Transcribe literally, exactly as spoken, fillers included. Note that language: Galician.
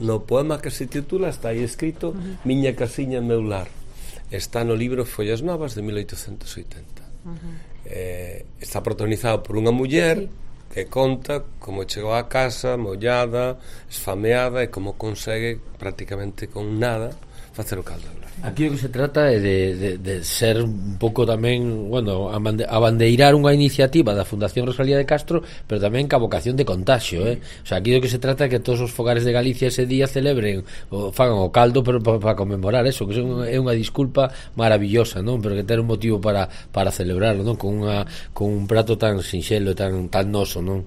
No poema que se titula está aí escrito uh-huh. Miña casiña, meu lar. Está no libro Follas Novas de mil oitocentos oitenta. Uh-huh. eh, está protagonizado por unha muller sí. que conta como chegou á casa mollada, esfameada e como consegue prácticamente con nada facer o caldo de lar. Aquí o que se trata é de, de, de ser un pouco tamén, bueno, abandeirar unha iniciativa da Fundación Rosalía de Castro, pero tamén ca vocación de contagio, eh? O sea, aquí o que se trata é que todos os fogares de Galicia ese día celebren ou fagan o caldo pero para pa conmemorar eso, que é unha disculpa maravillosa, non? Pero que ter un motivo para para celebrarlo, non? Con unha con un prato tan sinxelo e tan tan noso, non?